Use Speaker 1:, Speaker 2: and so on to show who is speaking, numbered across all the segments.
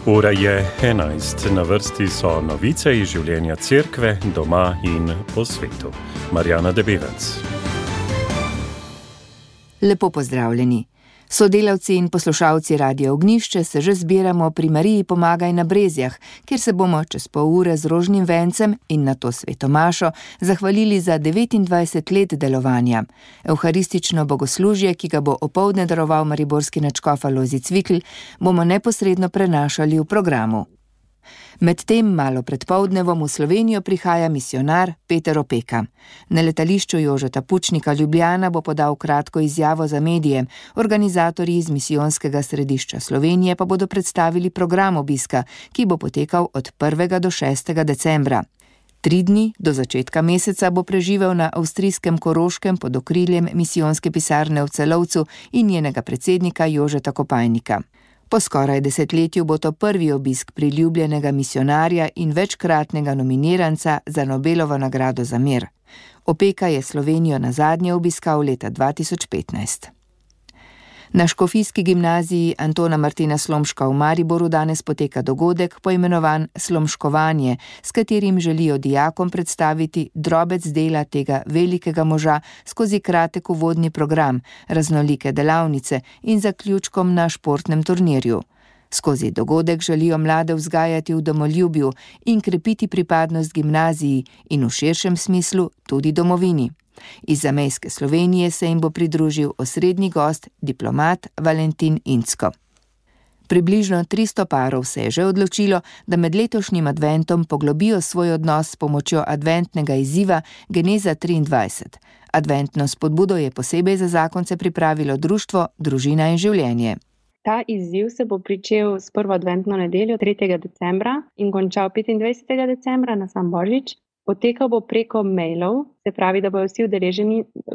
Speaker 1: Ura je 11. Na vrsti so novice iz življenja cerkve, doma in po svetu. Marjana Debevec.
Speaker 2: Lepo pozdravljeni. Sodelavci in poslušalci Radia Ognjišče se že zbiramo pri Mariji Pomagaj na Brezjah, kjer se bomo čez pol ure z rožnim vencem in nato sveto mašo zahvalili za 29 let delovanja. Evharistično bogoslužje, ki ga bo opoldne daroval mariborski nadškof Alojzij Cvikl, bomo neposredno prenašali v programu. Medtem malo pred poldnevom v Slovenijo prihaja misijonar Peter Opeka. Na letališču Jožeta Pučnika Ljubljana bo podal kratko izjavo za medije. Organizatorji iz misijonskega središča Slovenije pa bodo predstavili program obiska, ki bo potekal od 1. do 6. decembra. 3 dni do začetka meseca bo preživel na avstrijskem Koroškem pod okriljem misijonske pisarne v Celovcu in njenega predsednika Jožeta Kopajnika. Po skoraj desetletju bo to prvi obisk priljubljenega misijonarja in večkratnega nominiranca za Nobelovo nagrado za mir. Opeka je Slovenijo nazadnje obiskal leta 2015. Na škofijski gimnaziji Antona Martina Slomška v Mariboru danes poteka dogodek poimenovan Slomškovanje, s katerim želijo dijakom predstaviti drobec dela tega velikega moža skozi kratek uvodni program, raznolike delavnice in zaključkom na športnem turnirju. Skozi dogodek želijo mlade vzgajati v domoljubju in krepiti pripadnost gimnaziji in v širšem smislu tudi domovini. Iz zamejske Slovenije se jim bo pridružil osrednji gost, diplomat Valentin Incko. Približno 300 parov se je že odločilo, da med letošnjim adventom poglobijo svoj odnos s pomočjo adventnega izziva Geneza 23. Adventno spodbudo je posebej za zakonce pripravilo društvo Družina in življenje.
Speaker 3: Ta izziv se bo pričel s prvo adventno nedeljo 3. decembra in končal 25. decembra na sam Božič. Potekal bo preko mailov, se pravi, da bodo vsi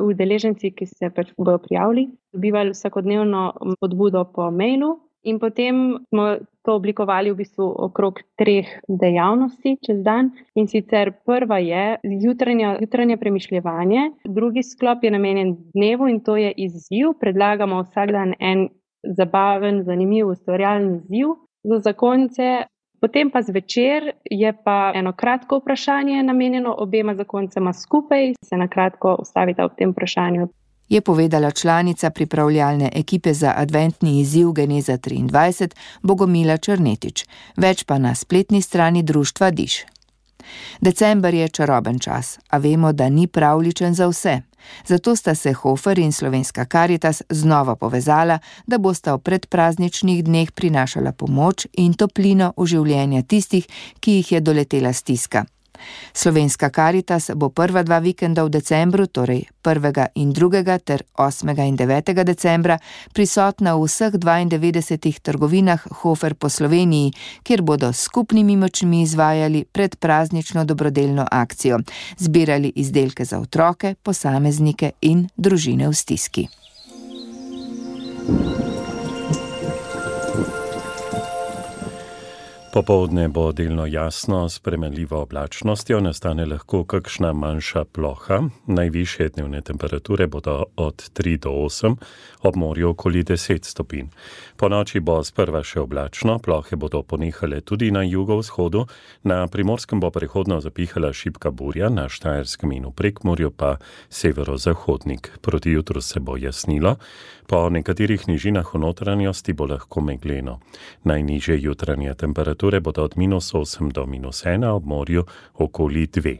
Speaker 3: udeleženci, ki se bodo prijavili, dobivali vsakodnevno spodbudo po mailu in potem smo to oblikovali v bistvu okrog 3 dejavnosti čez dan. In sicer prva je jutranje premišljevanje, drugi sklop je namenjen dnevu in to je izziv. Predlagamo vsak dan en zabaven, zanimiv, ustvarjalen izziv za zakonce. Potem pa zvečer je pa eno kratko vprašanje namenjeno obema zakoncema skupaj, se na kratko ustavita ob tem vprašanju.
Speaker 2: Je povedala članica pripravljalne ekipe za adventni izziv Geneza 23 Bogomila Črnetič, več pa na spletni strani društva Diš. December je čaroben čas, a vemo, da ni pravljičen za vse. Zato sta se Hofer in Slovenska Karitas znova povezala, da bosta v predprazničnih dneh prinašala pomoč in toplino v življenja tistih, ki jih je doletela stiska. Slovenska Karitas bo prva 2 vikenda v decembru, torej 1. in 2. ter 8. in 9. decembra, prisotna v vseh 92 trgovinah Hofer po Sloveniji, kjer bodo s skupnimi močmi izvajali predpraznično dobrodelno akcijo, zbirali izdelke za otroke, posameznike in družine v stiski.
Speaker 1: Popoldne bo delno jasno, s spremenljivo oblačnostjo, nastane lahko kakšna manjša ploha. Najvišje dnevne temperature bodo od 3 do 8, ob morju okoli 10 stopinj. Po noči bo sprva še oblačno, plohe bodo ponehale tudi na jugovzhodu, na Primorskem bo prehodno zapihala šibka burja, na Štajerskem in v Prekmurju pa severozahodnik. Proti jutru se bo jasnilo, po nekaterih nižinah v notranjosti bo lahko megleno. Najnižje jutranje temperature bodo od -8 do -1, ob morju okoli 2.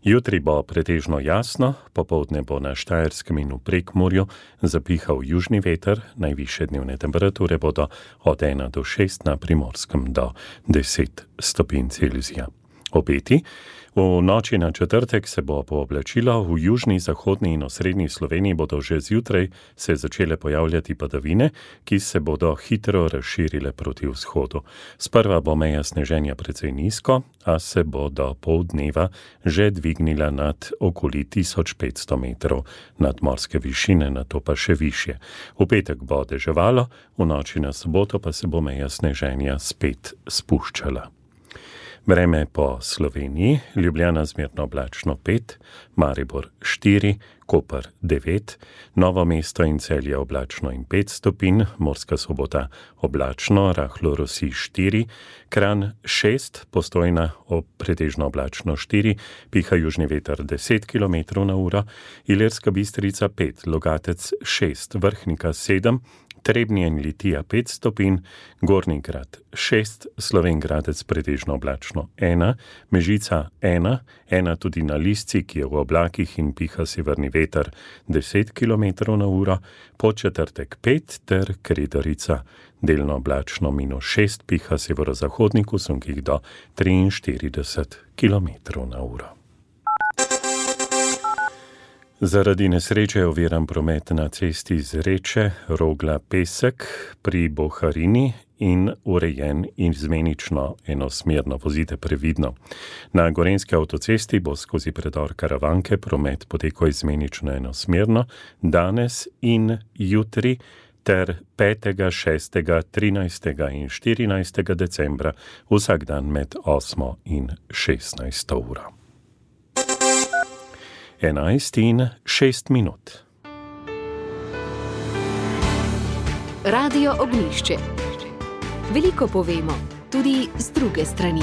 Speaker 1: Jutri bo pretežno jasno, popoldne bo na Štajerskem in v Prekmurju zapihal južni veter, najvišje dnevne temperature bodo od 1 do 6, na Primorskem do 10 stopinj Celzija. Obeti. V noči na četrtek se bo pooblačilo, v južni, zahodni in osrednji Sloveniji bodo že zjutraj se začele pojavljati padavine, ki se bodo hitro razširile proti vzhodu. Sprva bo meja sneženja precej nizko, a se bo do poldneva že dvignila nad okoli 1500 metrov nadmorske višine, nato pa še višje. V petek bo deževalo, v noči na soboto pa se bo meja sneženja spet spuščala. Vreme po Sloveniji, Ljubljana zmerno oblačno 5, Maribor 4, Koper 9, Novo mesto in Celje oblačno in 5 stopinj, Murska Sobota oblačno, rahlo rosi 4, Kranj 6, Postojna pretežno oblačno 4, piha južni veter 10 km/h, Ilirska Bistrica 5, Logatec 6, Vrhnika 7, Trebnje in Litija 5 stopinj, Gornji Grad 6, Slovenj Gradec pretežno oblačno 1, Mežica 1 tudi na Lisci, ki je v oblakih in piha severni veter 10 km/h, Podčetrtek 5 ter Kredarica delno oblačno -6, piha severozahodnik v sunkih do 43 km/h. Zaradi nesreče je oviran promet na cesti Zreče, Rogla-Pesek pri Boharini in urejen izmenično enosmerno, vozite previdno. Na Gorenjski avtocesti bo skozi predor Karavanke promet potekal izmenično enosmerno danes in jutri ter 5., 6., 13. in 14. decembra vsak dan med 8. in 16. uro. 11:06.
Speaker 4: Radio Ognjišče. Veliko povemo, tudi z druge strani.